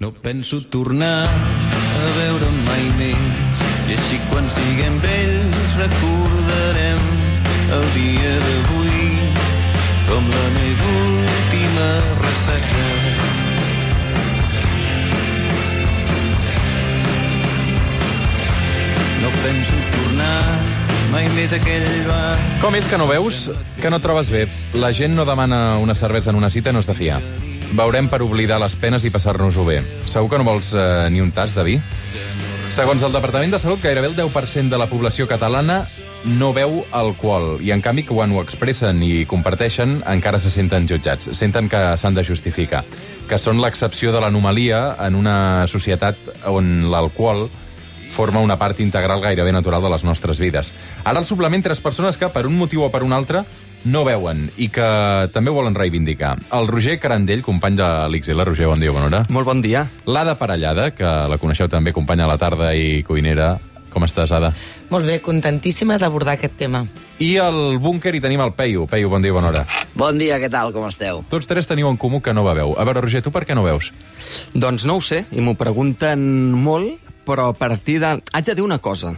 No penso tornar a veure mai més, i així quan siguem vells recordarem el dia d'avui com la meva última ressaca. No penso tornar mai més a aquell bar. Com és que no veus? Que no et trobes bé. La gent no demana una cervesa en una cita, no és de fiar. Beurem per oblidar les penes i passar-nos-ho bé. Segur que no vols ni un tas de vi? Segons el Departament de Salut, gairebé el 10% de la població catalana no beu alcohol. I, en canvi, quan ho expressen i comparteixen, encara se senten jutjats. Senten que s'han de justificar. Que són l'excepció de l'anomalia en una societat on l'alcohol forma una part integral gairebé natural de les nostres vides. Ara, al suplement, 3 persones que, per un motiu o per un altre, no veuen i que també volen reivindicar. El Roger Carandell, company de l'XL. Roger, bon dia, bona hora. Molt bon dia. L'Ada Parellada, que la coneixeu també, companya a la tarda i cuinera. Com estàs, Ada? Molt bé, contentíssima d'abordar aquest tema. I al búnquer hi tenim el Peyu. Peyu, bon dia, bona hora. Bon dia, què tal, com esteu? Tots 3 teniu en comú que no beveu. A veure, Roger, tu per què no veus? Doncs no ho sé, i m'ho pregunten molt, però a partir de... Haig de dir una cosa.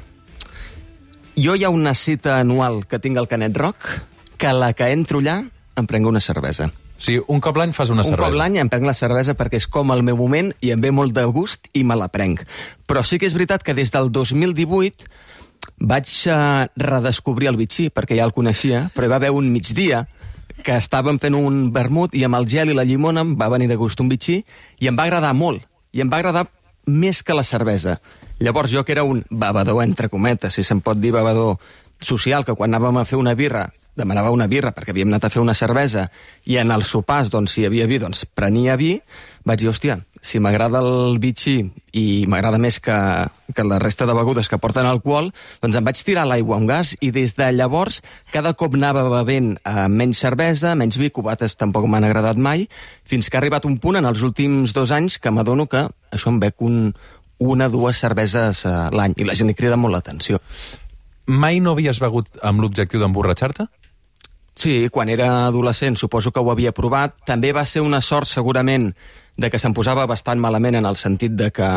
Jo hi ha una cita anual que tinc al Canet Rock, que a la que entro allà em prenc una cervesa. Sí, un cop l'any fas una cervesa. Un cop l'any em prenc la cervesa perquè és com el meu moment i em ve molt de gust i me la prenc. Però sí que és veritat que des del 2018 vaig redescobrir el bitxí, perquè ja el coneixia, però hi va haver un migdia que estàvem fent un vermut i amb el gel i la llimona em va venir de gust un bitxí i em va agradar molt. I em va agradar més que la cervesa. Llavors jo, que era un bevedor, entre cometes, si se'n pot dir bevedor social, que quan anàvem a fer una birra demanava una birra perquè havíem anat a fer una cervesa i en els sopars, doncs, si hi havia vi, doncs prenia vi, vaig dir, hòstia, si m'agrada el bitxí i m'agrada més que la resta de begudes que porten alcohol, doncs em vaig tirar l'aigua amb gas i des de llavors cada cop anava bevent menys cervesa, menys vi, cubates tampoc m'han agradat mai, fins que ha arribat un punt en els últims 2 anys que m'adono que això em bec una o 2 cerveses l'any i la gent hi crida molt l'atenció. Mai no havies begut amb l'objectiu d'emborratxar-te? Sí, quan era adolescent suposo que ho havia provat. També va ser una sort, segurament, de que se'm posava bastant malament en el sentit de que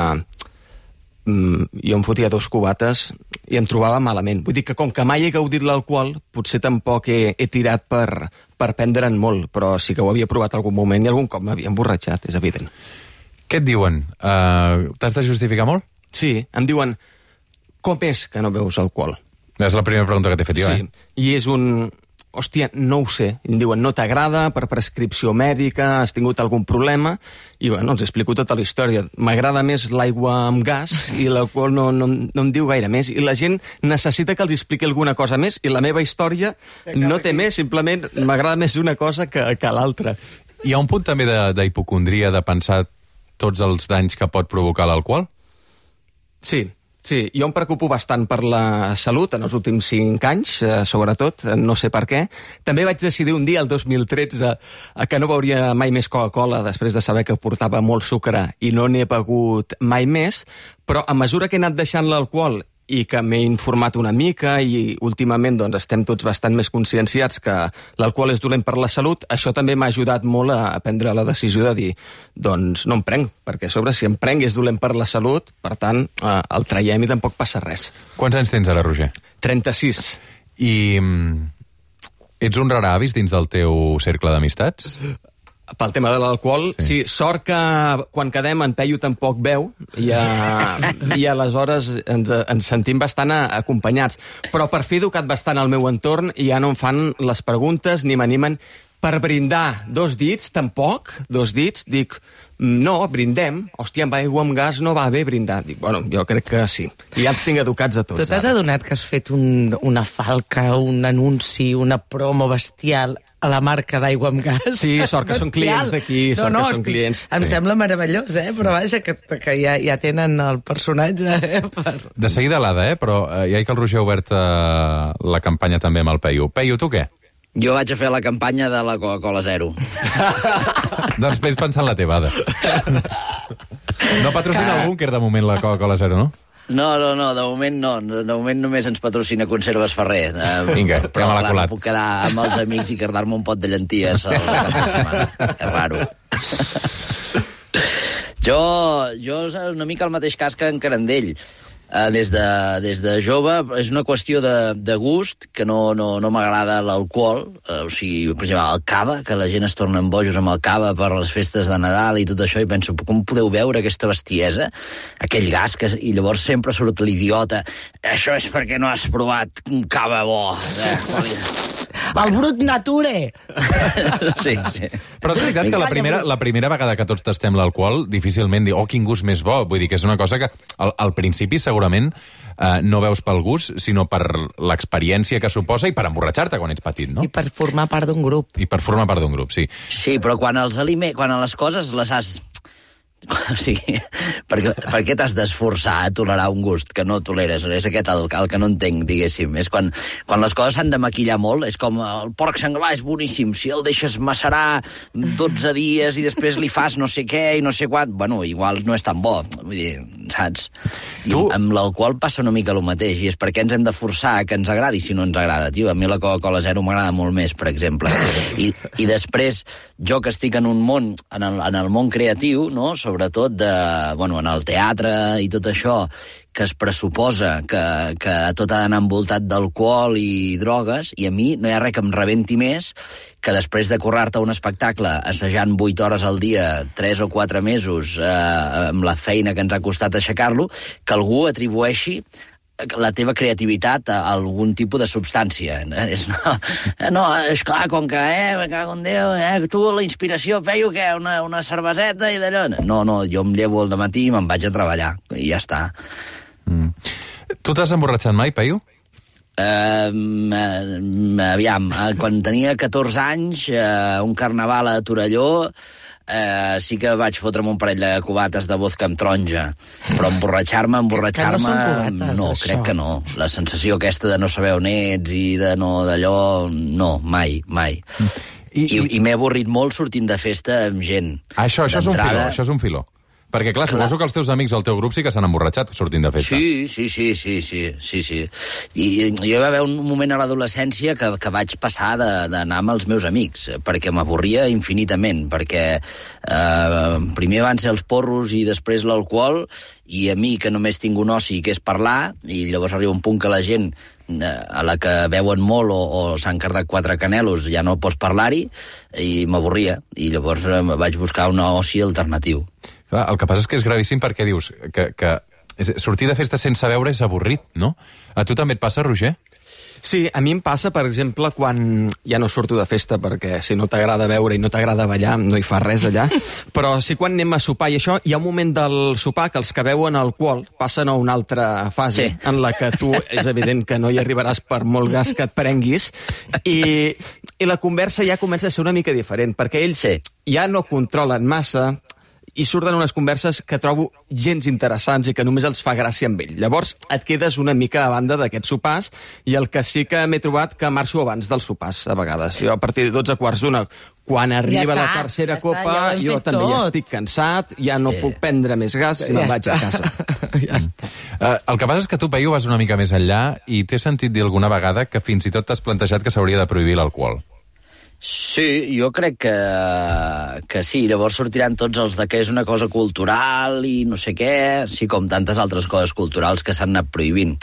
jo em fotia 2 cubates i em trobava malament. Vull dir que com que mai he gaudit l'alcohol, potser tampoc he tirat per prendre'n molt, però sí que ho havia provat algun moment i algun cop m'havia emborratxat, és evident. Què et diuen? T'has de justificar molt? Sí, em diuen, com és que no beus alcohol? És la primera pregunta que t'he fet jo, sí, i és un... Hòstia, no ho sé. Em diuen, no t'agrada, per prescripció mèdica, has tingut algun problema, i bueno, els explico tota la història. M'agrada més l'aigua amb gas i l'alcohol no em diu gaire més. I la gent necessita que els expliqui alguna cosa més, i la meva història no té més, simplement m'agrada més una cosa que l'altra. Hi ha un punt també d'hipocondria de pensar tots els danys que pot provocar l'alcohol? Sí, jo em preocupo bastant per la salut en els últims 5 anys, sobretot, no sé per què. També vaig decidir un dia, el 2013, que no beuria mai més Coca-Cola després de saber que portava molt sucre i no n'he begut mai més, però a mesura que he anat deixant l'alcohol i que m'he informat una mica i últimament doncs, estem tots bastant més conscienciats que l'alcohol és dolent per la salut, això també m'ha ajudat molt a prendre la decisió de dir doncs no em prenc, perquè a sobre si em prenc és dolent per la salut, per tant el traiem i tampoc passa res. Quants anys tens ara, Roger? 36. I ets un raravis dins del teu cercle d'amistats? Pel tema de l'alcohol, sí, sort que quan quedem en Peyu tampoc beu i aleshores ens sentim bastant acompanyats. Però per fi he educat bastant al meu entorn i ja no em fan les preguntes ni m'animen per brindar. 2 dits, tampoc? 2 dits? Dic, no, brindem. Hòstia, amb aigua amb gas no va bé brindar. Dic, bueno, jo crec que sí. I ja els tinc educats a tots. Tu t'has adonat que has fet una falca, un anunci, una promo bestial a la marca d'aigua amb gas? Sí, sort que són clients d'aquí, sort que són clients. Em sembla meravellós, però vaja, que ja tenen el personatge. De seguida l'Ada, però ja que el Roger ha obert la campanya també amb el Peyu. Peyu, tu què? Jo vaig a fer la campanya de la Coca-Cola Zero. Doncs vés pensant la teva, Ada. No patrocina el búnquer de moment la Coca-Cola Zero, no? No, de moment no. De moment només ens patrocina Conserves Ferrer. Vinga, però ja me l'ha colat. No puc quedar amb els amics i quedar-me un pot de llenties al cap de setmana. És raro. Jo és una mica el mateix cas que en Carandell. Des de jove és una qüestió de gust, que no m'agrada l'alcohol, o sigui, per exemple, el cava, que la gent es torna en bojos amb el cava per les festes de Nadal i tot això, i penso, com podeu veure aquesta bestiesa, aquell gas, i llavors sempre surt l'idiota, això és perquè no has provat un cava bo. El brut nature! Sí. Però és veritat que la primera vegada que tots tastem l'alcohol, difícilment dir, quin gust més bo. Vull dir que és una cosa que al principi segurament no veus pel gust, sinó per l'experiència que suposa i per emborratxar-te quan ets petit, no? I per formar part d'un grup. I per formar part d'un grup, sí. Sí, però quan a les coses les has... O sigui, per què t'has d'esforçar a tolerar un gust que no toleres? És aquest el que no entenc, diguéssim. És quan les coses s'han de maquillar molt, és com el porc senglar és boníssim, si el deixes macerar 12 dies i després li fas no sé què i no sé quant, bueno, igual no és tan bo, vull dir, saps? I amb l'alcohol passa una mica el mateix, i és perquè ens hem de forçar que ens agradi si no ens agrada, tio. A mi la Coca-Cola Zero m'agrada molt més, per exemple. I després, jo que estic en un món, en el món creatiu, no?, sobretot en el teatre i tot això, que es pressuposa que tot ha d'anar envoltat d'alcohol i drogues, i a mi no hi ha res que em rebenti més que després de currar-te un espectacle assajant 8 hores al dia, 3 o 4 mesos, amb la feina que ens ha costat aixecar-lo, que algú atribueixi la teva creativitat a algun tipus de substància. No, esclar, com que, me cago en Déu, tu la inspiració feio què, una cerveseta i d'allò. No, jo em llevo al dematí i me'n vaig a treballar, i ja està. Tu t'has emborratxat mai, Peyu? Aviam, quan tenia 14 anys, un carnaval a Torelló, sí que vaig fotre'm un parell de cubates de vodka amb taronja, però emborratxar-me, Que no són cubates, no, això. crec que no. La sensació aquesta de no saber on ets i de no d'allò, no, mai. I m'he avorrit molt sortint de festa amb gent. Això és un filó. Perquè, clar, suposo que els teus amics, el teu grup, sí que s'han emborratxat sortint de festa. Sí. I jo va haver un moment a l'adolescència que vaig passar d'anar amb els meus amics, perquè m'avorria infinitament, perquè primer van ser els porros i després l'alcohol, i a mi, que només tinc un oci, que és parlar, i llavors arriba un punt que la gent a la que beuen molt o s'han cardat 4 canelos ja no pots parlar-hi, i m'avorria, i llavors vaig buscar un oci alternatiu. Clar, el que passa és que és gravíssim perquè dius que sortir de festa sense beure és avorrit, no? A tu també et passa, Roger? Sí, a mi em passa, per exemple, quan ja no surto de festa, perquè si no t'agrada beure i no t'agrada ballar, no hi fa res allà, però sí quan anem a sopar i això, hi ha un moment del sopar que els que beuen alcohol passen a una altra fase, en la que tu és evident que no hi arribaràs per molt gas que et prenguis, i la conversa ja comença a ser una mica diferent, perquè ells ja no controlen massa, i surten unes converses que trobo gens interessants i que només els fa gràcia amb ell. Llavors et quedes una mica a banda d'aquests sopars, i el que sí que m'he trobat que marxo abans dels sopars, a vegades. Jo a partir de 12:45, quan arriba la tercera copa, jo també ja estic cansat, ja no puc prendre més gas i me'n vaig a casa. Ja està. El que passa és que tu, Peyu, vas una mica més enllà i t'he sentit dir alguna vegada que fins i tot t'has plantejat que s'hauria de prohibir l'alcohol. Sí, jo crec que sí. Llavors sortiran tots els de que és una cosa cultural i no sé què, sí, com tantes altres coses culturals que s'han anat prohibint.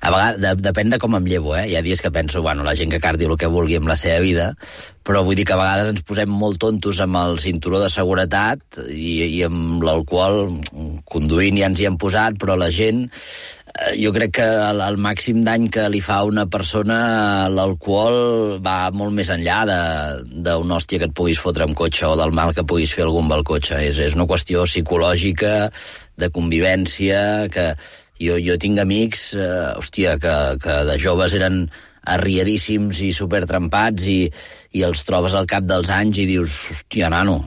A vegades, depèn de com em llevo, Hi ha dies que penso, la gent que cardi el que vulgui amb la seva vida, però vull dir que a vegades ens posem molt tontos amb el cinturó de seguretat i amb l'alcohol conduint ja ens hi hem posat, però la gent... Jo crec que el màxim dany que li fa a una persona l'alcohol va molt més enllà d'una hòstia que et puguis fotre amb cotxe o del mal que puguis fer algú amb el cotxe. És una qüestió psicològica, de convivència, que jo tinc amics, que de joves eren arriadíssims i supertrempats i els trobes al cap dels anys i dius, hòstia, nano,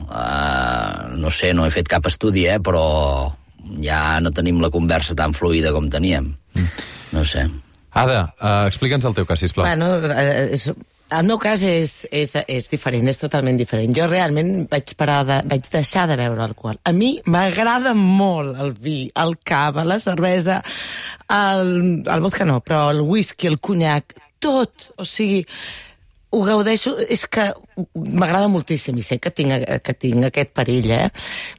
no sé, no he fet cap estudi, però... ja no tenim la conversa tan fluida com teníem. No sé. Ada, explica'ns el teu cas, sisplau. Bueno, el meu cas és diferent, és totalment diferent. Jo realment vaig deixar de beure alcohol. A mi m'agrada molt el vi, el cava, la cervesa, el vodka no, però el whisky, el conyac, tot. O sigui, ho gaudeixo, és que m'agrada moltíssim, i sé que tinc aquest perill,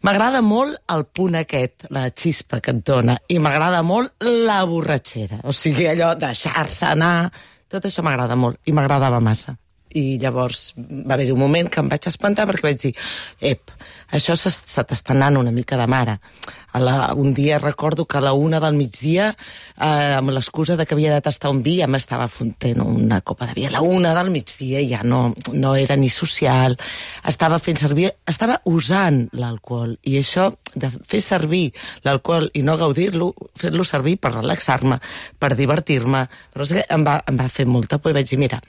M'agrada molt el punt aquest, la xispa que et dona, i m'agrada molt la borratxera, o sigui, allò, deixar-se anar, tot això m'agrada molt, i m'agradava massa. I llavors va haver un moment que em vaig espantar perquè vaig dir, això se t'està anant una mica de mare. Un dia recordo que a la 1 del migdia, amb l'excusa de que havia de tastar un vi, ja m'estava fontent una copa de vi. A la 1 del migdia ja no era ni social, estava usant l'alcohol. I això de fer servir l'alcohol i no gaudir-lo, fer-lo servir per relaxar-me, per divertir-me, però em va fer molta por i vaig dir, mira,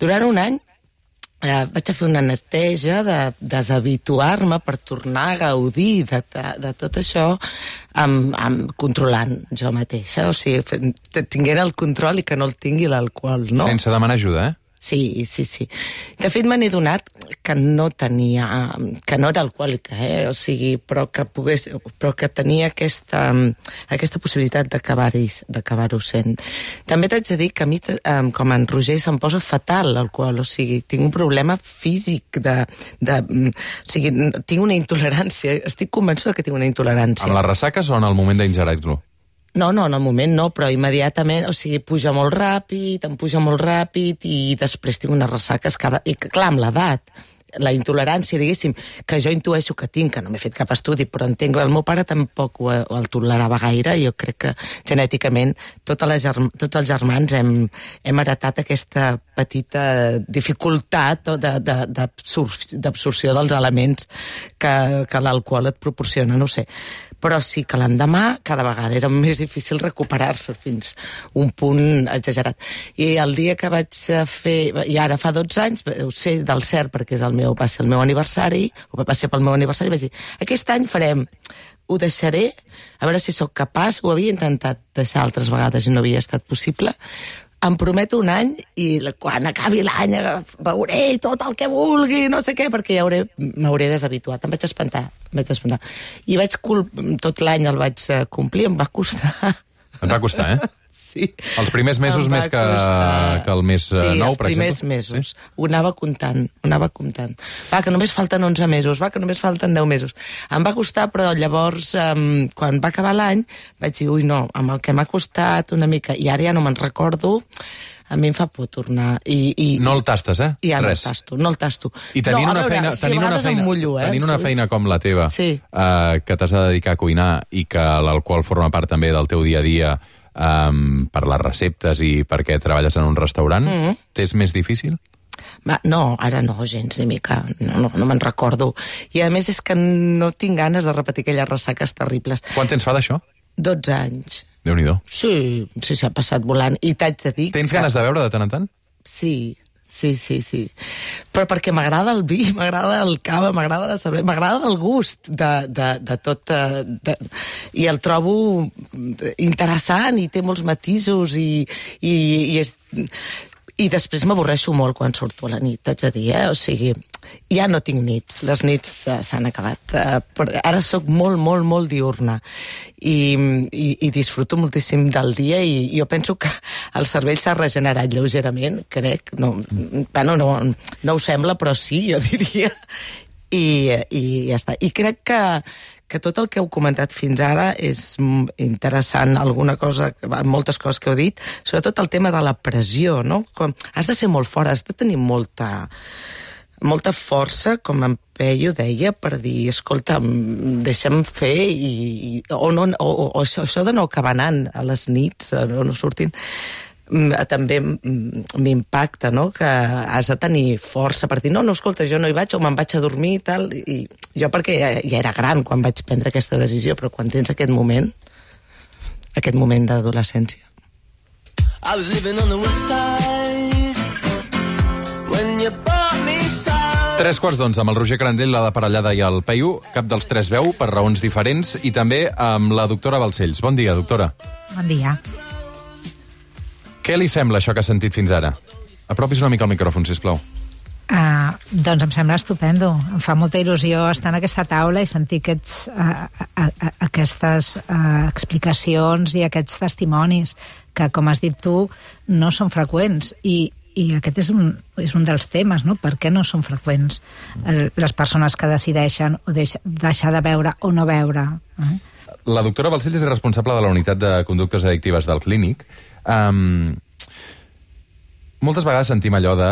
durant un any vaig a fer una neteja de deshabituar-me per tornar a gaudir de tot això controlant jo mateixa, o sigui, tinguent el control i que no el tingui l'alcohol, no? Sense demanar ajuda, Sí. De fet, me n'he donat que no era alcohòlica, o sigui, però que tenia aquesta possibilitat d'acabar-ho sent. També t'haig de dir que a mi, com en Roger, se'm posa fatal l'alcohol, o sigui, tinc un problema físic o sigui, tinc una intolerància, estic convençuda que tinc una intolerància. Amb les ressaques o en el moment d'ingerir-lo? No, en el moment no, però immediatament, o sigui, em puja molt ràpid i després tinc unes ressaques i clar, amb l'edat, la intolerància, diguéssim, que jo intueixo que tinc, que no m'he fet cap estudi, però entenc que el meu pare tampoc el tolerava gaire, jo crec que genèticament tots els germans hem heretat aquesta petita dificultat d'absorció dels elements que l'alcohol et proporciona, no sé. Però sí que l'endemà cada vegada era més difícil recuperar-se fins un punt exagerat. I el dia que vaig fer, i ara fa 12 anys, ho sé del cert perquè va ser el meu aniversari, va ser pel meu aniversari, vaig dir, aquest any ho deixaré, a veure si sóc capaç, ho havia intentat deixar altres vegades i no havia estat possible, em prometo un any i quan acabi l'any veuré tot el que vulgui, no sé què, perquè m'hauré deshabituat. Em vaig espantar. I tot l'any el vaig complir, em va costar. Et va costar, Sí. Els primers mesos més que el mes 9, per exemple? Sí, els primers mesos. Sí? Ho anava comptant. Va, que només falten 11 mesos, que només falten 10 mesos. Em va costar, però llavors, quan va acabar l'any, vaig dir, no, amb el que m'ha costat una mica, i ara ja no me'n recordo, a mi em fa por tornar. No el tastes, Ja Res. No el tasto. I tenint una feina com la teva, que t'has de dedicar a cuinar i que l'alcohol forma part també del teu dia a dia, per les receptes i perquè treballes en un restaurant, t'és més difícil? No, ara no, gens ni mica. No me'n recordo. I a més és que no tinc ganes de repetir aquelles ressaques terribles. Quant temps fa d'això? 12 anys. Déu-n'hi-do. Sí, s'ha passat volant. I t'haig de dir... Tens ganes de beure de tant en tant? Sí. Però perquè m'agrada el vi, m'agrada el cava, m'agrada la cervesa, m'agrada el gust de tot... I el trobo interessant i té molts matisos i després m'avorreixo molt quan surto a la nit, t'haig de dir, O sigui, ja no tinc nits, les nits s'han acabat. Ara sóc molt, molt, molt diurna i disfruto moltíssim del dia i jo penso que el cervell s'ha regenerat lleugerament, crec. No ho sembla, però sí, jo diria. I ja està. I crec que tot el que heu comentat fins ara és interessant, moltes coses que heu dit, sobretot el tema de la pressió, no? Has de ser molt fort, has de tenir molta força, com en Peyu deia, per dir, escolta, deixa'm fer, o això de no acabar anant a les nits, no sortint, també m'impacta, no?, que has de tenir força per dir, no, escolta, jo no hi vaig, o me'n vaig a dormir i tal, i jo perquè ja era gran quan vaig prendre aquesta decisió, però quan tens aquest moment d'adolescència. I was living on the west side when you bought me side. 3:15 amb el Roger Crandell, la de Parellada i el Peyu, cap dels tres veu per raons diferents, i també amb la doctora Balcells. Bon dia, doctora. Bon dia. Què li sembla això que ha sentit fins ara? Apropis una mica el micròfon, sisplau. Doncs em sembla estupendo. Em fa molta il·lusió estar en aquesta taula i sentir aquestes explicacions i aquests testimonis que, com has dit tu, no són freqüents. I I aquest és un dels temes, no? Per què no són freqüents les persones que decideixen o deixar de beure o no beure? La doctora Balcells és responsable de la unitat de conductes addictives del Clínic. Moltes vegades sentim allò de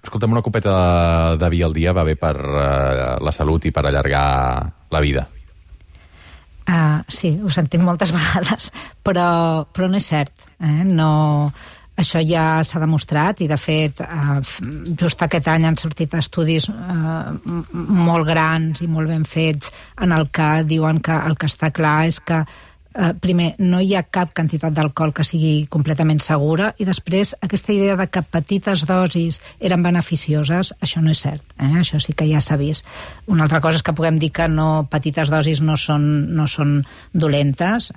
escolta'm, una copeta de vi al dia va bé per la salut i per allargar la vida. Sí, ho sentim moltes vegades, però no és cert. No, això ja s'ha demostrat i, de fet, just aquest any han sortit estudis molt grans i molt ben fets en el que diuen que el que està clar és que primer, no hi ha cap quantitat d'alcohol que sigui completament segura, i després aquesta idea de que petites dosis eren beneficioses, això no és cert, això sí que ja s'ha vist. Una altra cosa és que puguem dir que petites dosis no són dolentes,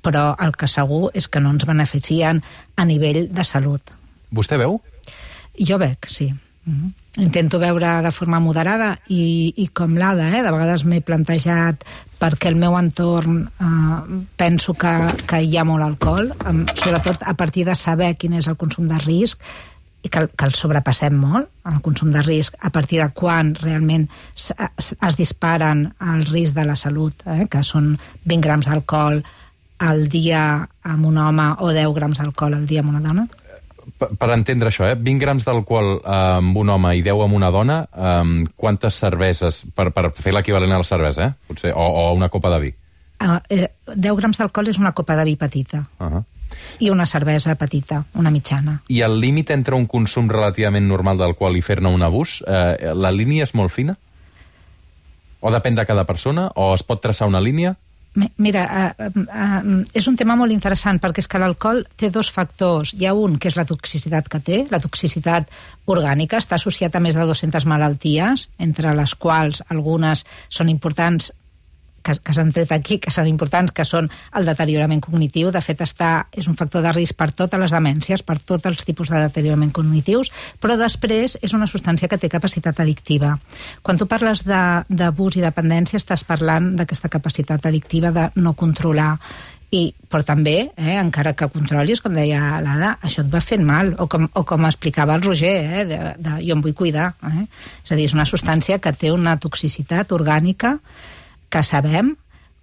però el que segur és que no ens beneficien a nivell de salut. Vostè veu? Jo bec, sí. Intento beure de forma moderada i com l'Ada, de vegades m'he plantejat perquè el meu entorn penso que hi ha molt alcohol, sobretot a partir de saber quin és el consum de risc i que el sobrepassem molt, el consum de risc, a partir de quan realment es disparen el risc de la salut, que són 20 grams d'alcohol al dia amb un home o 10 grams d'alcohol al dia amb una dona. Per entendre això, 20 grams d'alcohol amb un home i 10 amb una dona, quantes cerveses, per fer l'equivalent a la cervesa, potser, o una copa de vi? 10 grams d'alcohol és una copa de vi petita. I una cervesa petita, una mitjana. I el límit entre un consum relativament normal d'alcohol i fer-ne un abús, la línia és molt fina? O depèn de cada persona? O es pot traçar una línia? Mira, és un tema molt interessant perquè és que l'alcohol té dos factors. Hi ha un, que és la toxicitat que té. La toxicitat orgànica està associada a més de 200 malalties, entre les quals algunes són importants, que s'han tret aquí, que són importants, que són el deteriorament cognitiu. De fet, és un factor de risc per totes les demències, per tots els tipus de deteriorament cognitius, però després és una substància que té capacitat addictiva. Quan tu parles d'abús i dependència, estàs parlant d'aquesta capacitat addictiva de no controlar. Però també, encara que controlis, com deia l'Ada, això et va fent mal, o com explicava el Roger, jo em vull cuidar. És a dir, és una substància que té una toxicitat orgànica que sabem,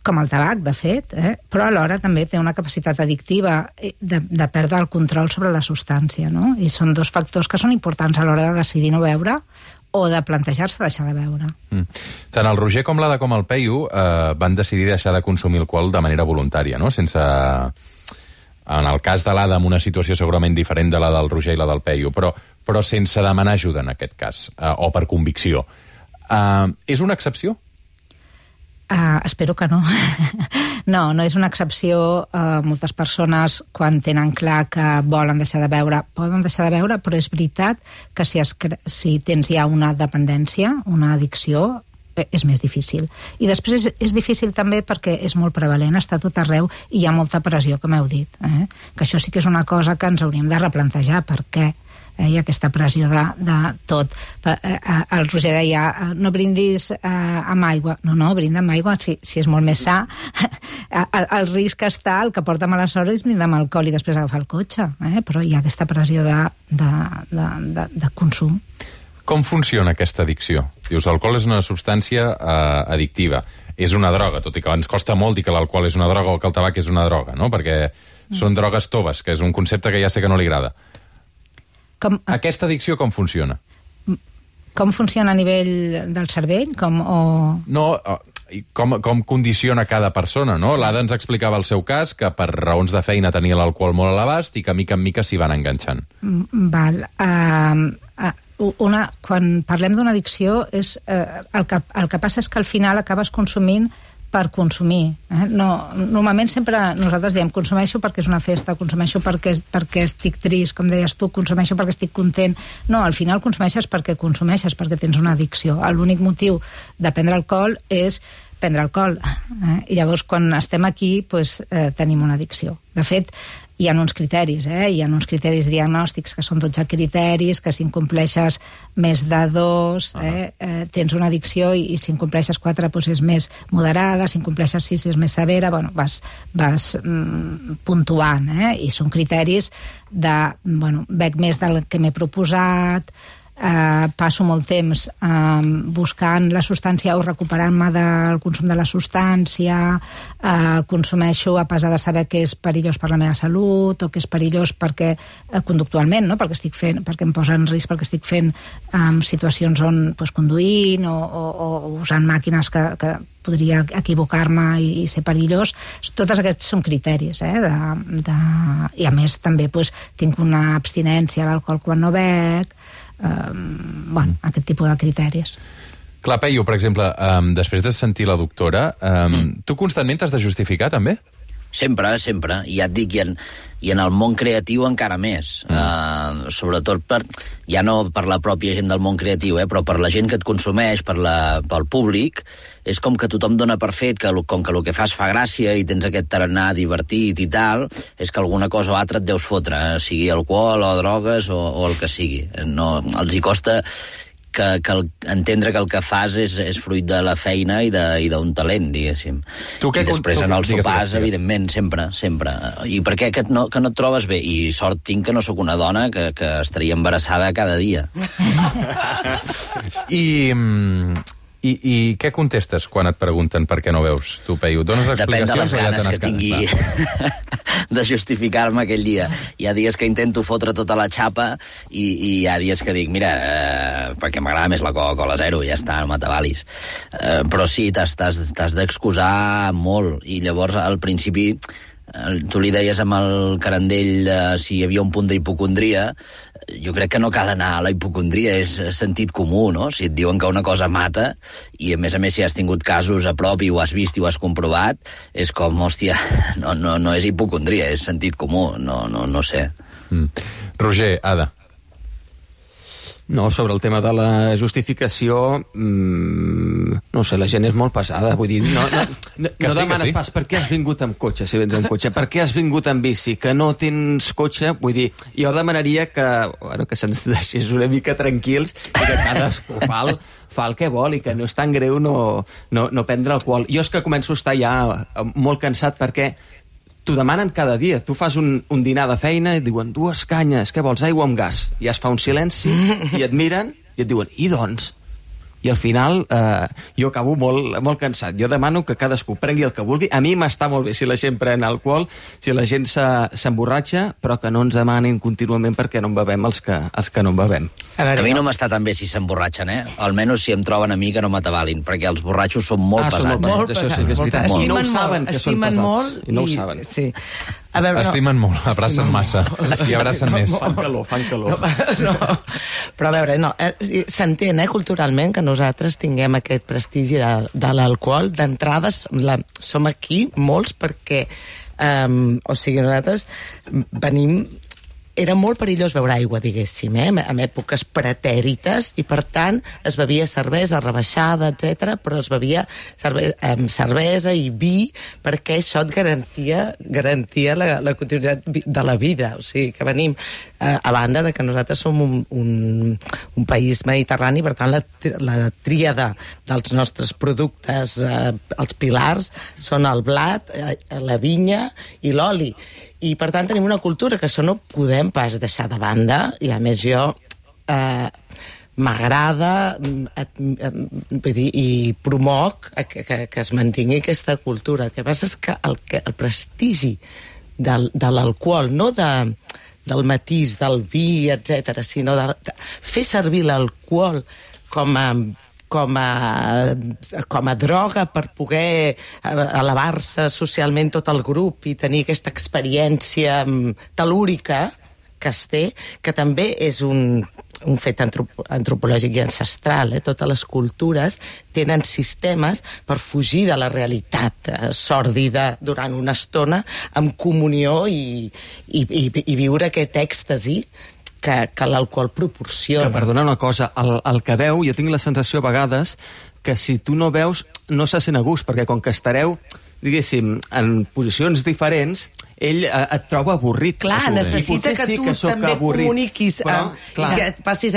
com el tabac, de fet, però alhora també té una capacitat addictiva de perdre el control sobre la substància, no? I són dos factors que són importants a l'hora de decidir no beure o de plantejar-se deixar de beure. Tant el Roger com l'Ada com el Peyu van decidir deixar de consumir alcohol de manera voluntària, no? Sense... En el cas de l'Ada, en una situació segurament diferent de la del Roger i la del Peyu, però sense demanar ajuda en aquest cas, o per convicció. És una excepció? Espero que no. No és una excepció. Moltes persones, quan tenen clar que volen deixar de beure, poden deixar de beure, però és veritat que si tens ja una dependència, una addicció, és més difícil. I després és difícil també perquè és molt prevalent, està tot arreu i hi ha molta pressió, com heu dit. Que això sí que és una cosa que ens hauríem de replantejar. Per què? Hi ha aquesta pressió de tot. El Roger deia, no brindis amb aigua. No, brinda amb aigua, si és molt més sa. El risc està, el que porta mala sort és brindar amb alcohol i després agafar el cotxe. Però hi ha aquesta pressió de consum. Com funciona aquesta addicció? Dius, l'alcohol és una substància addictiva. És una droga, tot i que ens costa molt dir que l'alcohol és una droga o que el tabac és una droga, no? Perquè són drogues toves, que és un concepte que ja sé que no li agrada. Aquesta addicció com funciona? Com funciona a nivell del cervell? No, com condiciona cada persona, no? L'Ada ens explicava el seu cas, que per raons de feina tenia l'alcohol molt a l'abast i que mica en mica s'hi van enganxant. Val. Quan parlem d'una addicció, el que passa és que al final acabes consumint per consumir. Normalment sempre nosaltres diem consumeixo perquè és una festa, consumeixo perquè estic trist, com deies tu, consumeixo perquè estic content. No, al final consumeixes perquè tens una addicció. L'únic motiu de prendre alcohol és prendre alcohol. I llavors, quan estem aquí, tenim una addicció. De fet, hi ha uns criteris, hi ha uns criteris diagnòstics que són 12 criteris, que si incompleixes més de 2 tens una addicció, i si incompleixes 4 és més moderada, si incompleixes 6 és més severa. Bueno, vas puntuant, i són criteris de, bec més del que m'he proposat, passo molt temps buscant la substància o recuperant-me del consum de la substància, consumeixo a pesar de saber que és perillós per la meva salut o que és perillós perquè conductualment, no? perquè em posa en risc, perquè estic fent situacions on conduint o usant màquines que podria equivocar-me i ser perillós. Tots aquests són criteris, i a més també tinc una abstinència a l'alcohol quan no bec, aquest tipus de criteris. Clar, Peyu, per exemple, després de sentir la doctora, tu constantment t'has de justificar, també? Sempre. I ja et dic, i en el món creatiu encara més. Sobretot ja no per la pròpia gent del món creatiu, però per la gent que et consumeix, pel públic, és com que tothom dona per fet que com que el que fas fa gràcia i tens aquest tarannà divertit i tal, és que alguna cosa o altra et deus fotre, sigui alcohol o drogues o el que sigui. No, els hi costa entendre que el que fas és fruit de la feina i d'un talent, diguéssim. I després en els sopars, evidentment, sempre. I per què que no et trobes bé? I sort tinc que no sóc una dona que estaria embarassada cada dia. I què contestes quan et pregunten per què no veus, tu, Peyu? Dones explicacions? Depèn de les ganes que tingui de justificar-me aquell dia. Hi ha dies que intento fotre tota la xapa i hi ha dies que dic, mira, perquè m'agrada més la Coca-Cola Zero, ja està, no m'atabalis. Però sí, t'has d'excusar molt. I llavors, al principi, tu li deies amb el Carandell si hi havia un punt d'hipocondria. Jo crec que no cal anar a la hipocondria, és sentit comú, no? Si et diuen que una cosa mata, i a més si has tingut casos a prop i ho has vist i ho has comprovat, és com, hòstia, no és hipocondria, és sentit comú, no sé. Roger, Ada. No, sobre el tema de la justificació, no sé, la gent és molt pesada, vull dir, no demanes pas per què has vingut amb cotxe, si vens amb cotxe, per què has vingut amb bici, que no tens cotxe, vull dir, jo demanaria que se'ns deixés una mica tranquils i que cadascú fa el que vol i que no és tan greu no prendre alcohol. Jo és que començo a estar ja molt cansat perquè t'ho demanen cada dia. Tu fas un dinar de feina i et diuen 2 canyes, què vols, aigua amb gas? I es fa un silenci i et miren i et diuen, i doncs? I al final jo acabo molt cansat. Jo demano que cadascú prengui el que vulgui. A mi m'està molt bé si la gent pren alcohol, si la gent s'emborratxa, però que no ens demanin contínuament perquè no en bevem els que no en bevem. A mi no m'està tan bé si s'emborratxen, Almenys si em troben a mi que no m'atabalin, perquè els borratxos són molt pesats. Molt pesats, això sí que és veritat. I no ho saben, que són pesats. I no ho saben. Sí. Estimen molt, abracen massa i abracen més. Fan calor. Però a veure, s'entén culturalment que nosaltres tinguem aquest prestigi de l'alcohol. D'entrada som aquí molts perquè nosaltres venim... Era molt perillós beure aigua, diguéssim, en èpoques pretèrites, i per tant es bevia cervesa rebaixada, etc, però es bevia cervesa i vi perquè això et garantia la continuïtat de la vida. O sigui, que venim, a banda de que nosaltres som un país mediterrani, per tant la tríada dels nostres productes, els pilars, són el blat, la vinya i l'oli. I, per tant, tenim una cultura que això no podem pas deixar de banda, i a més jo m'agrada i promoc que es mantingui aquesta cultura. El que passa és que el prestigi de l'alcohol, no del matís, del vi, etc, sinó de fer servir l'alcohol com a droga per poder elevar-se socialment tot el grup i tenir aquesta experiència tel·lúrica que es té, que també és un fet antropològic i ancestral. Totes les cultures tenen sistemes per fugir de la realitat sòrdida durant una estona amb comunió i viure aquest èxtasi que l'alcohol proporciona. Que, perdona una cosa, el que veu, jo tinc la sensació a vegades que si tu no beus no se sent a gust, perquè com que estareu, diguéssim, en posicions diferents, ell et troba avorrit. Clar, necessita que tu també comuniquis i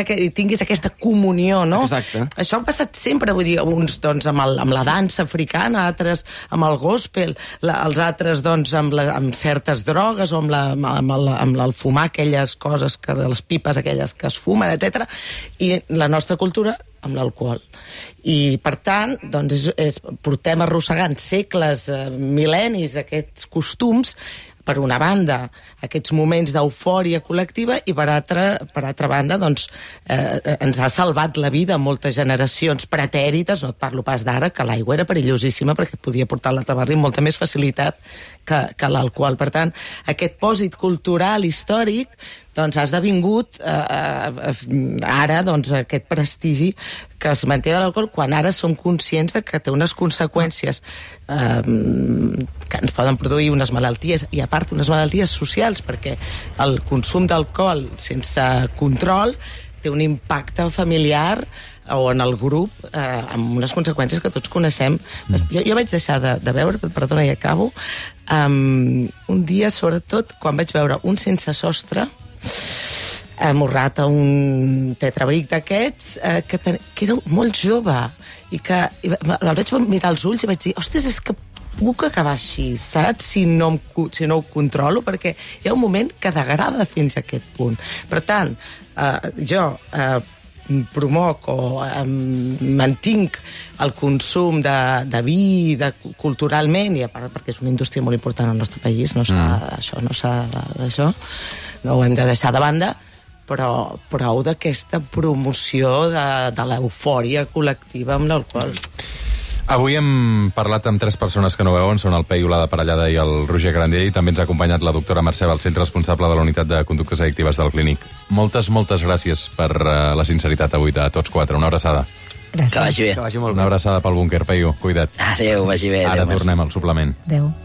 que tinguis aquesta comunió, no? Exacte. Això ha passat sempre, vull dir, uns doncs, amb la dansa africana, altres amb el gospel, els altres doncs, amb certes drogues o amb el fumar aquelles coses, les pipes aquelles que es fumen, etc. I la nostra cultura amb l'alcohol. I, per tant, doncs, portem arrossegant segles, mil·lennis, aquests costums, per una banda, aquests moments d'eufòria col·lectiva i, per altra banda, doncs, ens ha salvat la vida a moltes generacions pretèrites, no et parlo pas d'ara, que l'aigua era perillosíssima perquè et podia portar a la tabarra amb molta més facilitat que l'alcohol. Per tant, aquest pòsit cultural, històric, doncs ha esdevingut ara doncs, aquest prestigi que es manté de l'alcohol, quan ara som conscients de que té unes conseqüències que ens poden produir unes malalties, i a part unes malalties socials, perquè el consum d'alcohol sense control té un impacte familiar o en el grup amb unes conseqüències que tots coneixem. Jo vaig deixar de beure, perdona, i acabo, un dia, sobretot, quan vaig veure un sense sostre amorrat a un tetrabric d'aquests, que era molt jove, i que el vaig mirar als ulls i vaig dir, ostres, és que puc acabar així, saps? Si no ho controlo, perquè hi ha un moment que degrada fins a aquest punt. Per tant, jo promoc o mantinc el consum de vi culturalment, i a part perquè és una indústria molt important al nostre país, no ho hem de deixar de banda, però prou d'aquesta promoció de l'eufòria col·lectiva amb l'alcohol. Avui hem parlat amb 3 persones que no veuen, són el Peyu, la de Parellada i el Roger Grandier, i també ens ha acompanyat la doctora Mercè Balcells, responsable de la unitat de conductes addictives del Clínic. Moltes gràcies per la sinceritat avui de tots 4. Una abraçada. Gràcies. Que vagi bé. Que vagi molt bé. Una abraçada pel búnquer, Peyu. Cuida't. Adéu, vagi bé. Ara tornem al suplement. Adéu.